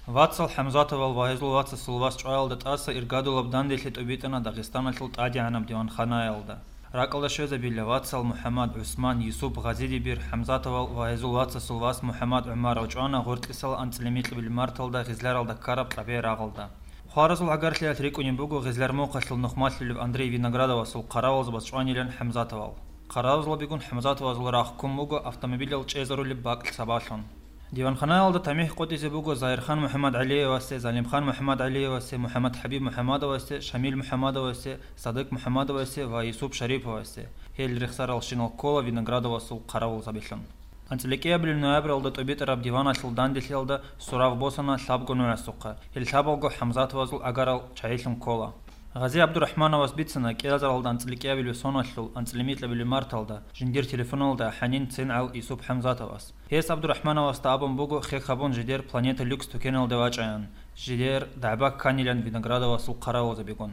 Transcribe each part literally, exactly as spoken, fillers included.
Вацал ХӀамзатовал ва гьезул вацасул вас чӀваялда тӀаса иргадулаб данделъи тӀубитӀана Дагъистаналъул тӀадегӀанаб диванханаялда. РакӀалда щвезабила вацал МухӀаммад, ГӀусман, Юсуп, Гъазидибир, ХӀамзатовал ва гьезул вацасул вас МухӀаммад ГӀумаров чӀвана гъоркьисал анцӀила микьабилеб марталда Гъизларалда ккараб кьабе рагъалда. Хваразул гӀагарлъиялъ рикӀкӀунеб буго Гъизлар мухъалъул нухмалъулев Андрей Виноградовасул хъаравулзабаз чӀванилан ХӀамзатовал. Хъаравулзабигун ХӀамзатовазул рахъ ккун буго автомобилал чӀезарулеб бакӀлъи сабаблъун. Диванханаялда тамихӀ къотӀизе буго Загьирхан МухӀаммадгӀалиевасе, Залимхан МухӀаммадгӀалиевасе, МухӀаммадхӀабиб МухӀаммадовасе, Шамил МухӀаммадовасе, Садык МухӀаммадовасе ва Юсуп Шариповасе. Гьел рехсаралщинал ккола Виноградовасул хъаравулзабилъун. АнцӀила кӀиабилеб ноябралда тӀубитӀараб диваналъул данделъиялда сурав босана лъабго нугӀасухъа. Гьел лъабалго ХӀамзатовазул агарал чагӀилъун ккола. Гъази ГӀабдурахӀмановас бицана кӀиазаралда анцӀила кӀиабилеб соналъул анцӀила микьабилеб марталда жиндир телефоналда хӀанин цин гӀал Юсуп ХӀамзатовас. Гьес ГӀабдурахӀмановасда абун буго хек гьабун жидер Планета Люкс тукеналде вачӀаян, жидер дагӀба кканилан Виноградовасул хъаравулзабигун.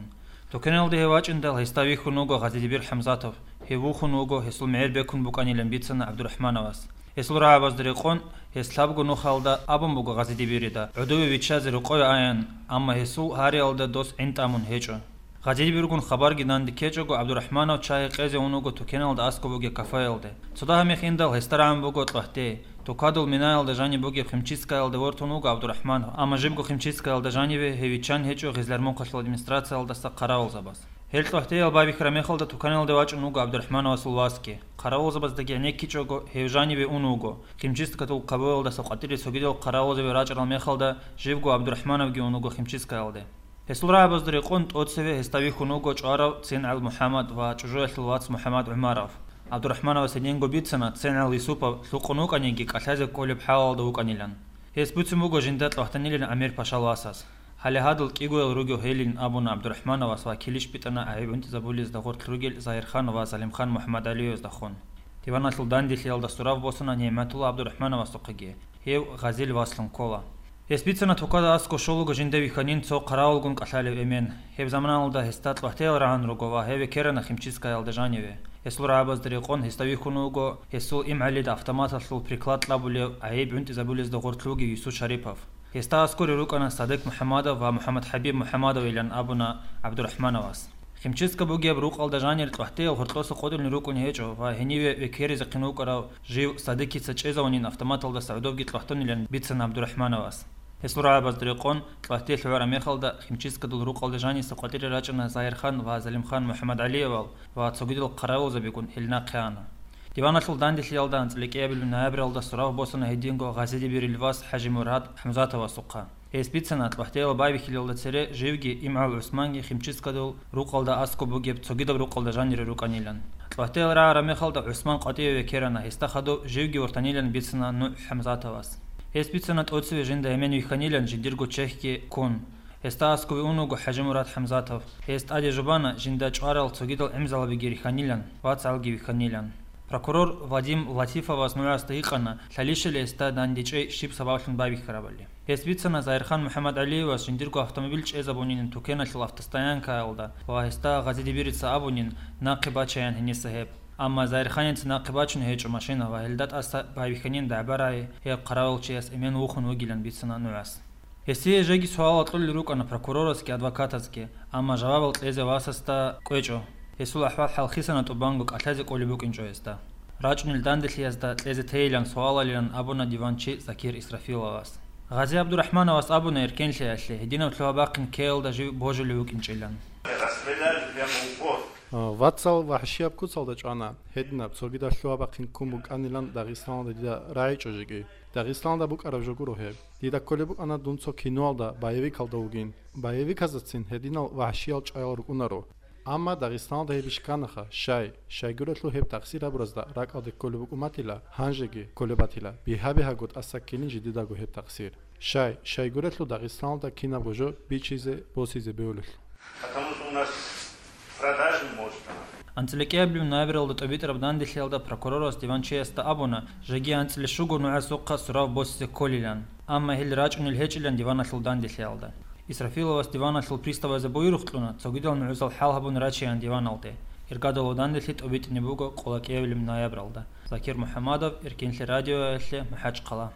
Тукеналде гьев вачӀиндал гьесда вихьун вуго Гъазидибир ХӀамзатов. Гьев вухун вуго, гьесул мегӀер бекун букӀанилан бицана ГӀабдурахӀмановас. Гьесул рагӀабазда рекъон, гьес лъабго нухалда абун буго Гъазидибирида гӀодове виччазе рокъове аян, амма гьесул гьариялда дос гӀин тӀамун гьечӀо. Гъазидибиргун хабарги данде ккечӀого, ГӀабдурахӀманов чай гьекъезе ун вуго тукеналда аскӀоб бугеб кафеялде. Цо дагьа мехин дал гьесда рагӀун буго ЦӀвагьте. Тукадул минаялда жаниб бугеб химчисткаялде вортун вуго ГӀабдурахӀманов, амма жибго химчисткаялда жаниве гьев виччан гьечӀо Гъизлар мухъалъул администрациялдаса хъаравулзабаз. Гьел ЦӀвагьтеял байбихьараб мехалда туканалде вачӀун вуго ГӀабдурахӀмановасул васги. Хъаравулзабаздаги гӀенеккичӀого, гьев жаниве ун вуго. Химчисткадул кабоялдаса къватӀире цогидал хъаравулзаби рачӀарал мехалда, живго ГӀабдурахӀмановги ун вуго химчисткаялде. Гьесул рагӀабазда рекъон тӀоцеве гьесда вихьун вуго чӀварав цин гӀал МухӀаммад ва чӀужуялъул вац МухӀаммад ГӀумаров. ГӀабдурахӀмановас гьединго бицана цин гӀал Юсупов лъукъун вукӀаниги кӀалъазе кколеб хӀалалда вукӀанилан. Гьес буцин буго жинда тӀватанилан Амир-пашал васас. Гьале гьадал кӀигоял ругев гьелин абуна ГӀабдурахӀмановас ва килищ битӀана гӀайиб гӀунтӀизабулезда гъорлъ ругел Загьирхан ва Залимхан МухӀаммадгӀалиеваздахун. Диваналъул данделъиялда сурав босана НигӀматулла ГӀабдурахӀмановасухъеги. Гьев Гъазил васлъун ккола. Гьес бицана тукада аскӀов щолаго жинда вихьанин цо хъаравулгун кӀалъалев эмен. Гьеб заманалда гьесда ЦӀвагьтеял рагӀун руго ва гьев векерана химчисткаялда жаниве. Гьесул рагӀабазда рекъон гьесда вихьун вуго гьесул имгӀалида автоматалъул приклад кьабулев гӀайиб гӀунтӀизабулезда гъорлъ вугев Юсуп Шарипов. Гьесда аскӀоре рукӀана Садык МухӀаммадов ва МухӀаммадхӀабиб МухӀаммадовилан абуна ГӀабдурахӀмановас. Химчистка бугеб рукъалда жанир ЦӀвагьтеял гъоркьоса къотӀулин рукӀун гьечӀо ва гьениве векеризехъин вукӀарав жив Садыкица чӀезавунин автоматалдаса гӀодовги ЦӀвагьтунилан бицана ГӀабдурахӀмановас. Гьесул рагӀабазда рекъон, ЦӀвагьте лъугӀараб мехалда химчисткадул рукъалда жаниса къватӀире рачӀана Загьирхан ва Залимхан МухӀаммадгӀалиевал ва цогидал хъаравулзабигун гьел нахъе ана. Диваналъул данделъиялда анцӀила кӀиабилеб ноябралда сурав босана гьединго Гъазидибирил вас ХӀажимурад ХӀамзатовасухъа. Гьес бицана ЦӀвагьтеял байбихьилалда цере живги имгӀал ГӀусманги химчисткадул рукъалда аскӀоб бугеб цогидаб рукъалда жанире рукӀанилан. ЦӀвагьтеял рагӀараб мехалда ГӀусман къватӀиве векерана, гьесда хадуб живги вортанилан бицана нугӀ ХӀамзатовас. Гьес бицана тӀоцеве жинда эмен вихьанилан жиндирго чехьги ккун. Гьесда аскӀове ун вуго ХӀажимурад ХӀамзатов. Гьес тӀаде жубана жинда чӀварал цогидал гӀемзалабиги рихьанилан, вацгӀалги вихьанилан. Прокурор Вадим Латифовас нугӀасда гьикъана, лъалищали гьесда дандечӀей щиб сабаблъун байбихьарабали. Гьес бицана Загьирхан МухӀаммадгӀалиевас жиндирго автомобиль чӀезабунин тукеналъул автостоянкаялда ва гьесда Гъазидибирица абунин нахъе бачаян гьениса гьеб. Амма Загьирханица нахъе бачун гьечӀо машина ва гьелда тӀаса байбихьанин дагӀба рагӀи гьеб хъаравулчияс эмен вухун вугилан бицана нугӀас. Гьесие жеги суалал кьолел рукӀана прокурорасги адвокатасги, амма жавабал кьезе васасда кӀвечӀо. Гьесул ахӀвал-хӀал хисана тӀубанго кӀалъазе кӀолеб букӀинчӀо гьесда. РачӀунел данделъиязда кьезе тейилан суалалилан абуна диванчи Закир Исрафиловас. Гъази ГӀабдурахӀмановас абуна эркенлъиялъе гьединаб лъугьа-бахъин ккеялда жив божулев вукӀинчӀилан. Расстреляли прямо в упор. А, вацал вагьшияб куцалда чӀвана, гьединаб цогидаб лъугьа-бахъин ккун букӀанилан Дагъистаналда дида рагӀичӀо жеги. Дагъистаналда букӀараб жо гуро гьеб. Дида кколеб букӀана дун цо киноялда, боевикалда вугин. Боевиказацин гьединал вагьшиял чӀваял рукӀунаро. Амма Дагъистаналда гьеб иш кканаха, щай, щайгурелъул гьеб тахсир гьабуразда ракӀалде кколеб букӀуматила, гьанжеги кколеб батила, бигьа-бигьаго тӀаса ккелин жидедаго гьеб тахсир. Щай, щайгурелъул Дагъистаналда кинабго жо бичизе, босизе бегьулелъул. Потому что у нас продажный может она. АнцӀила кӀиабилеб ноябралда тӀубитӀараб данделъиялда прокурорас диванчиясда абуна, жеги анцӀила щуго нугӀасухъа сурав босизе кколилан, амма гьел рачӀунел гьечӀилан диваналъул данделъиялда. Исрафиловас диваналъул приставазе буюрухъ кьуна, цогидал нугӀзал хӀал гьабун рачеян диваналде. Иргадалъул данделъи тӀубитӀине буго къоло кӀиабилеб ноябралда. Закир МухӀаммадов, Эркенлъи радиоялъе, МахӀачхъала.